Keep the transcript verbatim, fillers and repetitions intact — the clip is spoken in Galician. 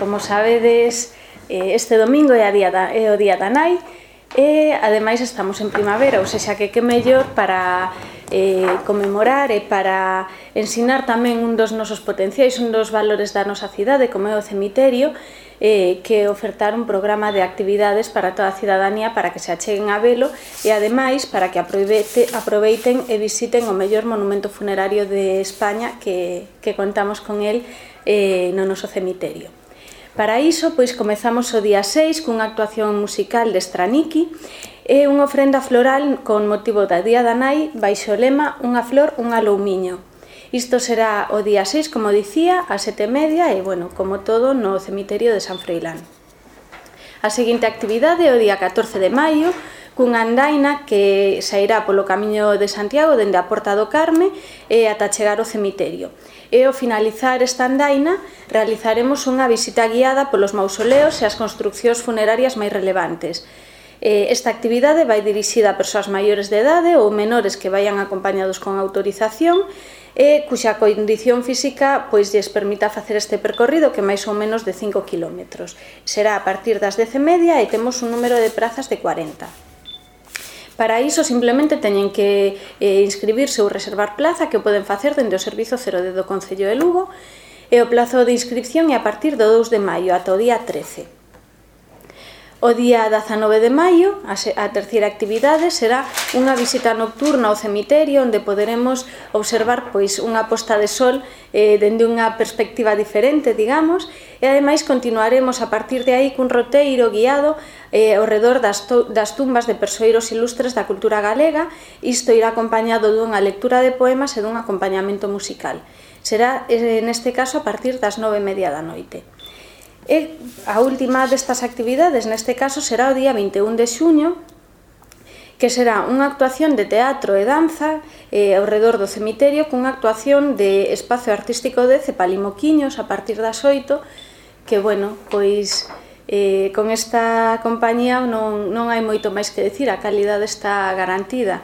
Como sabedes, este domingo é, a día da, é o Día da Nai e, ademais, estamos en primavera, ou seja, que que mellor para eh, conmemorar e para ensinar tamén un dos nosos potenciais, un dos valores da nosa cidade, como é o cemiterio, eh, que ofertar un programa de actividades para toda a cidadanía para que se acheguen a velo e, ademais, para que aproveite, aproveiten e visiten o mellor monumento funerario de España que, que contamos con el eh, no noso cemiterio. Para iso, pois, comezamos o día seis cunha actuación musical de Straniqui e unha ofrenda floral con motivo da Día da Nai baixo o lema Unha flor, un aloumiño. Isto será o día seis, como dicía, a sete e media e, bueno, como todo, no cemiterio de San Froilán. A seguinte actividade é o día catorce de maio, cunha andaina que sairá polo camiño de Santiago dende a Porta do Carme e ata chegar ao cemiterio. E ao finalizar esta andaina realizaremos unha visita guiada polos mausoleos e as construccións funerarias máis relevantes. Esta actividade vai dirixida a persoas maiores de idade ou menores que vayan acompañados con autorización e cuxa condición física pois lles permita facer este percorrido que máis ou menos de cinco kilómetros. Será a partir das dez e media e temos un número de prazas de cuarenta. Para iso simplemente teñen que eh, inscribirse ou reservar plaza que poden facer dende o Servizo cero D do Concello de Lugo e o plazo de inscripción é a partir do dous de maio ata o día trece. O día dezanove de maio, a terceira actividade, será unha visita nocturna ao cemiterio onde poderemos observar pois unha posta de sol eh, dende unha perspectiva diferente, digamos, e ademais continuaremos a partir de aí cun roteiro guiado eh, ao redor das, das tumbas de persoeiros ilustres da cultura galega. Isto irá acompañado dunha lectura de poemas e dun acompañamento musical. Será, eh, neste caso, a partir das nove e media da noite. E a última destas actividades, neste caso, será o día vinte e un de xuño, que será unha actuación de teatro e danza eh, ao redor do cemiterio cunha actuación de espazo artístico de Cepalimoquiños a partir das oito, que, bueno, pois eh, con esta compañía non, non hai moito máis que decir, a calidade está garantida.